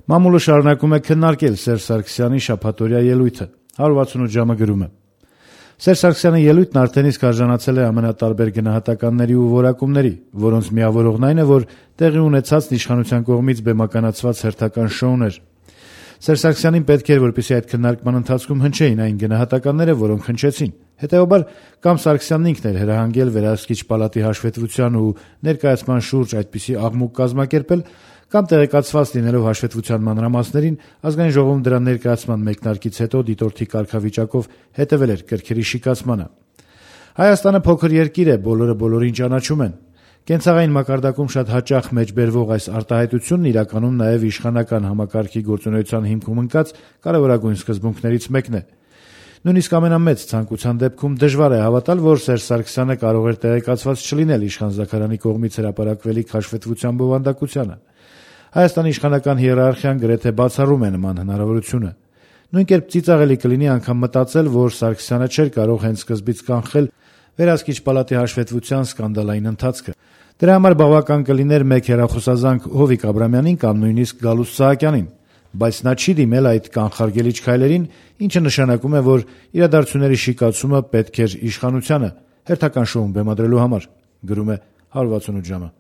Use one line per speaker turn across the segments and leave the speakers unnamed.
Մամուլը շարունակում է քննարկել Սերժ Սարգսյանի շաբաթօրյա ելույթը։ 168 ժամը գրում է. Սերժ Սարգսյանի ելույթն արդեն իսկ արժանացել է ամենատարբեր գնահատականների ու որակումների, որոնց միավորողն այն է, որ տեղի ունեցածն իշխանության կողմից բեմականացված հերթական շոուն էր։ Սերժ Սարգսյանին պետք էր, որպեսզի այդ քննարկման ընթացքում հնչեին այն գնահատականները, որոնք հնչեցին։ Հետևաբար, կամ Սարգսյանն ինքն էր հրահանգել վերահսկիչ պալատի հաշվետվության ու ներկայացման շուրջ այդպիսի աղմուկ կազմակերպել, կամ տեղեկացված լինելով հաշվետվության մանրամասներին, Ազգային ժողովում դրա ներկայացման մեկնարկից հետո դիտորդի կարգավիճակով հետևել էր կրքերի շիկացմանը։ Հայաստանը փոքր երկիր է, բոլորը բոլորին ճանաչում են։ Կենցաղային մակարդակում շատ հաճախ մեջբերվող այս արտահայտությունն իրականում նաև իշխանական համակարգի գործունեության հիմքում ընկած կարևորագույն սկզբունքներից մեկն է։ Նույնիսկ ամենամեծ ցանկության դեպքում դժվար է հավատալ, որ Սերժ Սարգսյանը կարող էր տեղեկացված չլինել իշխան-Զաքարյանի կողմից հրապարակվելիք հաշվետվության բովանդակությանը։ Հայաստանի իշխանական հիերարխիան գրեթե բացառում է նման հնարավորությունը։ Նույն կերպ ծիծաղելի կլինի անգամ մտածել, որ Սարգսյանը չէր կարող հենց սկզբից կանխել վերահսկիչ պալատի հաշվետվության սկանդալային ընթացքը։ Դրա համար բավական կլիներ մեկ հեռախոսազանգ Հովիկ Աբրամյանին կամ նույնիսկ Գալուստ Սահակյանին, բայց նա չի դիմել այդ կանխարգելիչ քայլերին, ինչը նշանակում է, որ իրադարձությունների շիկացումը պետք էր իշխանությանը հերթական շոուն բեմադրելու համար, գրում է 168 ժամը։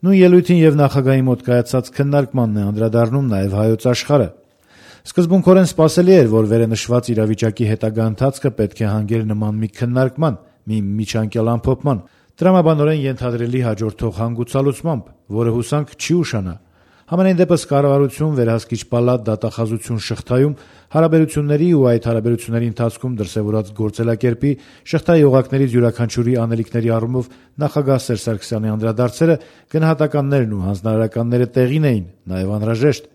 Նույն ելույթին եւ նախագահի մոտ կայացած քննարկմանն է անդրադառնում նաեւ Հայոց Աշխարհը։ Սկզբունքորեն սպասելի էր, որ վերենշված իրավիճակի հետագա ընթացքը պետք է հանգեր նման մի քննարկման, մի միջանկյալ ամփոփման, տրամաբանորեն ենթադրելի հաջորդող հանգուցալուծմամբ, որը հուսանք չի ուշանա։ Համենայն դեպս կառավարություն, վերահսկիչ պալատ, դատախազություն շղթայում հարաբերությունների ու այդ հարաբերությունների ընթացքում դրսևորած գործելակերպի, շղթայի օղակներից յուրաքանչյուրի անելիքների առումով նախագահ Սերժ Սարգսյանի անդրադարձերը, գնահատականներն ու հանձնարարականները տեղին էին, նաև անհրաժեշտ։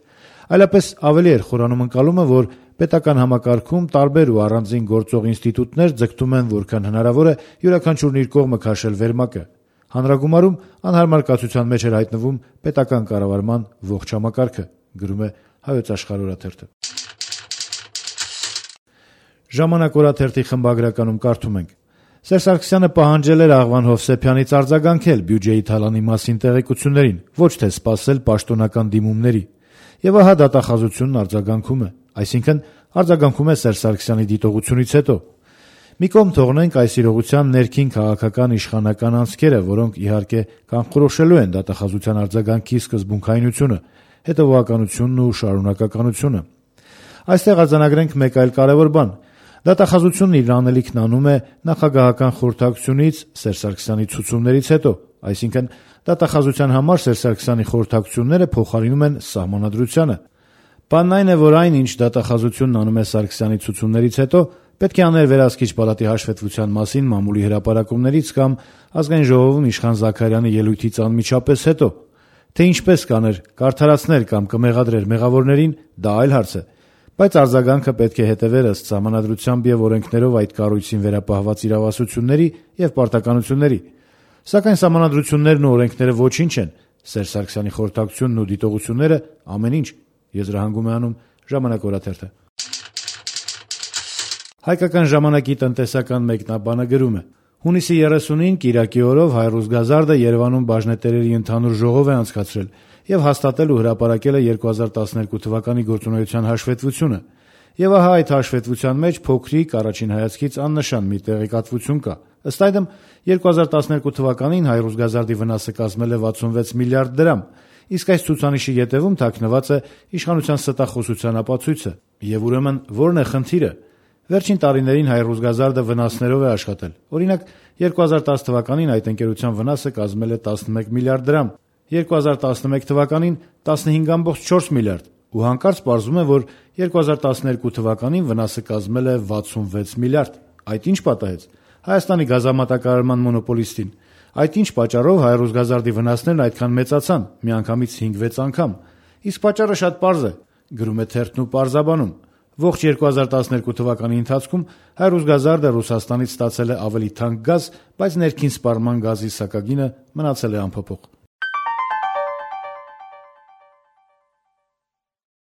Այլապես ավելի էր խորանում ընկալումը, որ պետական համակարգում տարբեր ու առանձին գործող ինստիտուտներ ձգտում են որքան հնարավոր է յուրաքանչյուրն իր կողմը քաշել վերմակը։ Հանրագումարում անհարմար կացության մեջ էր հայտնվում պետական կառավարման ողջ համակարգը, գրում է Հայոց Աշխարհ օրաթերթը։ Ժամանակ օրաթերթի խմբագրականում կարդում ենք. Սերժ Սարգսյանը պահանջել էր Աղվան Հովսեփյանից արձագանքել բյուջեի թալանի մասին տեղեկություններին, ոչ թե սպասել պաշտոնական դիմումների։ Եվ ահա դատախազությունն արձագանքում է, այսինքն արձագանքում է Սերժ Սարգսյանի դիտողությունից հետո։ Մի կողմ թողնենք այս իրողության ներքին քաղաքական իշխանական անցքերը, որոնք իհարկե կանխորոշելու են դատախազության արձագանքի սկզբունքայնությունը, հետևողականությունն ու շարունակականությունը։ Այստեղ արձանագրենք մեկ այլ կարևոր բան։ Դատախազությունն իր անելիքն անում է նախագահական խորհրդակցությունից Սերժ Սարգսյանի ցուցումներից հետո, այսինքն դատախազության համար Սերժ Սարգսյանի խորհրդակցությունները փոխարինում են սահմանադրությանը։ Բանն այն է, որ այն, ինչ դատախազությունն անում է Սարգսյանի ցուցումներից հետո, պետք է աներ վերահսկիչ պալատի հաշվետվության մասին մամուլի հրապարակումներից կամ Ազգային ժողովում իշխան Զաքարյանի ելույթից անմիջապես հետո։ Թե ինչպես կաներ, կարդարացներ կամ կմեղադրեր մեղավորներին, դա այլ հարց է, բայց արձագանքը պետք է հետևեր ըստ սահմանադրությամբ եւ օրենքներով այդ կառույցին վերապահված իրավասությունների եւ պարտականությունների։ Սակայն սահմանադրություններն ու օրենքները ոչինչ են, Սերժ Սարգսյանի խորհրդակցությունն ու դիտողությունները ամեն ինչ, եզրահանգում է անում Ժամանակ օրաթերթը։ Հայկական ժամանակի տնտեսական մեկնաբանը գրում է. Հունիսի 30-ին Կիրակի օրով Հայ-Ռուսգազարդը Երևանում բաժնետերերի ընդհանուր ժողով է անցկացրել եւ հաստատել ու հրապարակել է 2012 թվականի գործունեության հաշվետվությունը։ Եվ ահա այդ հաշվետվության մեջ փոքրիկ առաջին հայացքից աննշան մի տեղեկատվություն կա։ Ըստ այդմ 2012 թվականին Հայ-Ռուսգազարդի վնասը կազմել է 66 միլիարդ դրամ, իսկ այս ցուցանիշի ետևում թաքնված է իշխանության ստախոսության ապացույցը։ Եվ ուրեմն ո՞րն է խնդիրը։ Վերջին տարիներին Հայ-Ռուսգազարդը վնասներով է աշխատել։ Օրինակ 2010 թվականին այդ ընկերության վնասը կազմել է 11 միլիարդ դրամ, 2011 թվականին 15.4 միլիարդ, ու հանկարծ պարզվում է, որ 2012 թվականին վնասը կազմել է 66 միլիարդ։ Այդ ինչ պատահեց։ Հայաստանի գազամատակարարման մոնոպոլիստին։ Այդ ինչ պատճառով Հայ-Ռուսգազարդի վնասներն այդքան մեծացան, միանգամից 5-6 անգամ։ Իսկ պատճառը շատ պարզ է, գրում է թերթն ու պարզաբանում։ Ողջ 2012 թվականի ընթացքում Հայ-Ռուսգազարդը Ռուսաստանից ստացել է ավելի թանկ գազ, բայց ներքին սպառման գազի սակագինը մնացել է անփոփոխ։